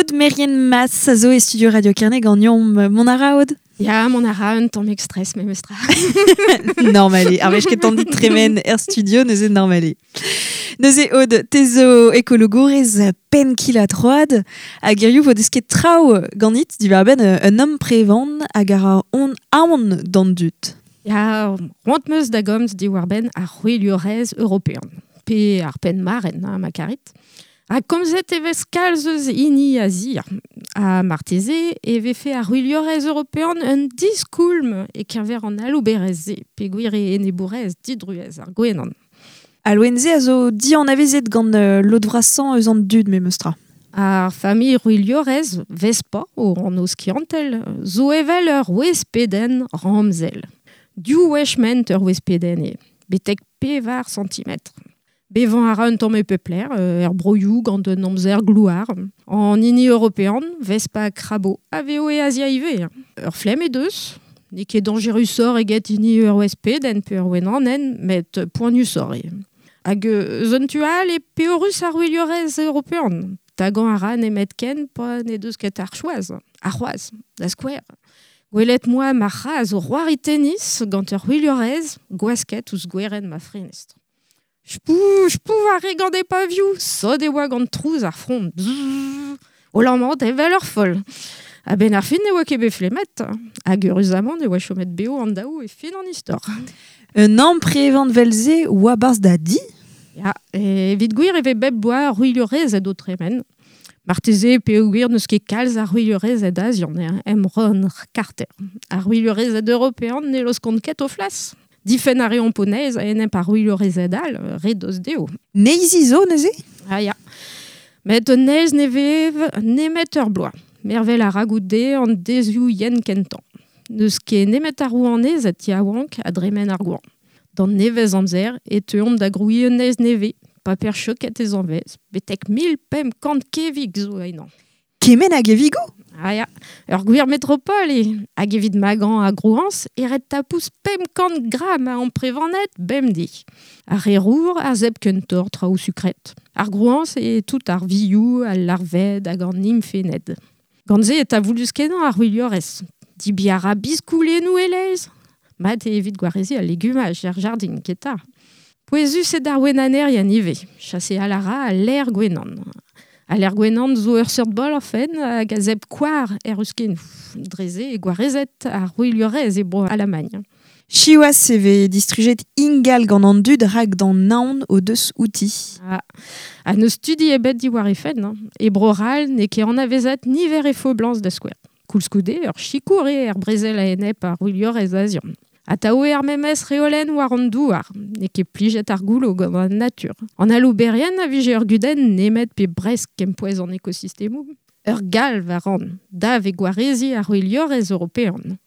Aude Merien Mas a zo e studio Radio Kerne ganeomp mont a ra, Aude? Ya, mont a ra un tammig stress memestra. Normal eo. Ar wech kentañ dit tremen er studio, neuze normal eo. Neuze, Aude, te zo ekologourez penn kil ha troad, hag hiziv vo desket traoù ganit diwar-benn un amprevan hag a ra on aon d'an dud. Ya, c'hoant 'm eus da gomz diwar-benn ar c'hwiliorez european, pe ar penn-marenn, ha ma karit. Ha komzet e vez kalz eus hini Azia. Ha marteze e vefe ar c'hwiliorez european un diskoulm e-keñver an alouberezh-se, peogwir eo enebourez didruez ar gwenan. Al loen-se a zo dianavezet gant lod vrasañ eus an dud memes tra. Ar familh c'hwiliorez, Vespa o anv skiantel, zo evel ur wespedenn ramzel. Div wech ment ur wespedenn eo, betek pevar santimetr. Bevañ a ra un tamm e pep lec'h, er broioù gant un amzer glouar. An hini european, Vespa crabo, a vezo e Azia ivez. Ur flemm he deus, n'eo ket dañjerusoc'h eget hini ur wespedenn pe ur wenanenn, met poaniusoc'h eo. Hag eus un tu all eo peorus ar wiliorez european. Tagañ a ra nemetken pa n'he deus ket ar choaz, ar c'hoaz, da skouer. Gwelet 'moa ma c'hazh o c'hoari tennis gant ur c'hwiliorez gwasket ouzh gwerenn ma frenestr. Spou, spou a re gant e pavioù, sot e oa gant trouz ar frond. Bzzz, o lammat evel ur foll. A-benn ar fin ne oa ket bet flemmet, hag eüruzamant e oa chomet bev an daou e fin an istor. Un amprevan 'vel-se oa 'barzh da di? Ya, evit gwir e vez bep bloaz c'hwiliorezed o tremen. Marteze peogwir n'eus ket kalz a c'hwiliorezed azian em rann karter. Ar c'hwiliorezed european ne laoskont ket o flas. Difenn a reomp o neizh a-enep ar c'hwiliorezed all, re dost dezho. Neizhi zo neuze? Ah ya. Met un neizh ne vev nemet ur bloaz. Mervel a ra goude an deizioù yen kentañ. N'eus ket nemet ar rouanezed yaouank a dremen ar goañv. D'an nevez-amzer e teuont da grouiñ un neizh nevez. Paper choket e zanvez, betek 1500 kevig zo ennañ. Kement a gevigoù? Ah ya, ur gwir metropol eo. Hag evit magañ ar grouañs e ret tapout 500 gram a amprevaned bemdez. Ar re rour a zebr kentoc'h traoù sukret. Ar grouañs eo tout ar vioù, al larved hag an nimfenned. Gant se e talvoudus-kenañ ar c'hwiliorez. Debriñ a ra biskoulennoù e-leizh. Mat eo evit gwareziñ al legumaj er jardin, keta. Pouezus eo d'ar wenanerien ivez. Chaseal a ra al lêr gwenan. Al lêr gwenan zo ur seurt boloc'henn hag a zebr koar er ruskennoù. Dre-se eo gwarezet ar c'hwiliorez e Bro-Alamagn. Siwazh e vez distrujet ingal gant an dud rak d'an aon o deus outi. Ah, ha n'eus studi ebet diwar he fenn. Hein. E Bro-C'hall n'eo ket anavezet niver he foblañs da skouer. Koulskoude, ur sikour eo er brezel a-enep ar c'hwiliorez azian. Atav eo ar memes reolenn war an douar. N'eo ket plijet ar goullo gant an natur. An alouberien a vije ur gudenn nemet pe bresk kempouez an ekosistemoù. Ur galv a ran, dav eo gwareziñ ar c'hwiliorez european.